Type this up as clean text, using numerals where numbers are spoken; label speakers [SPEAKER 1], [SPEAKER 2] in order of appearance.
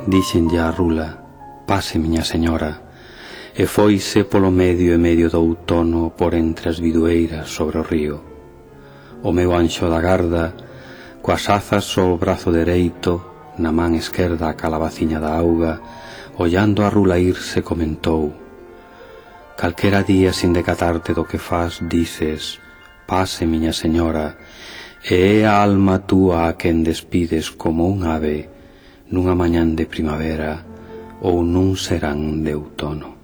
[SPEAKER 1] Díxenlle a rula: pase, miña señora, e foise polo medio e medio do outono por entre as bidueiras sobre o río. O meu anxo da garda, coas azas ao brazo dereito, na man esquerda a calabaciña da auga, ollando a rula irse, comentou: calquera día, sin decatarte do que fas, dices: pase, miña señora, e é a alma túa a quen despides como un ave nunha mañán de primavera ou nun serán de outono.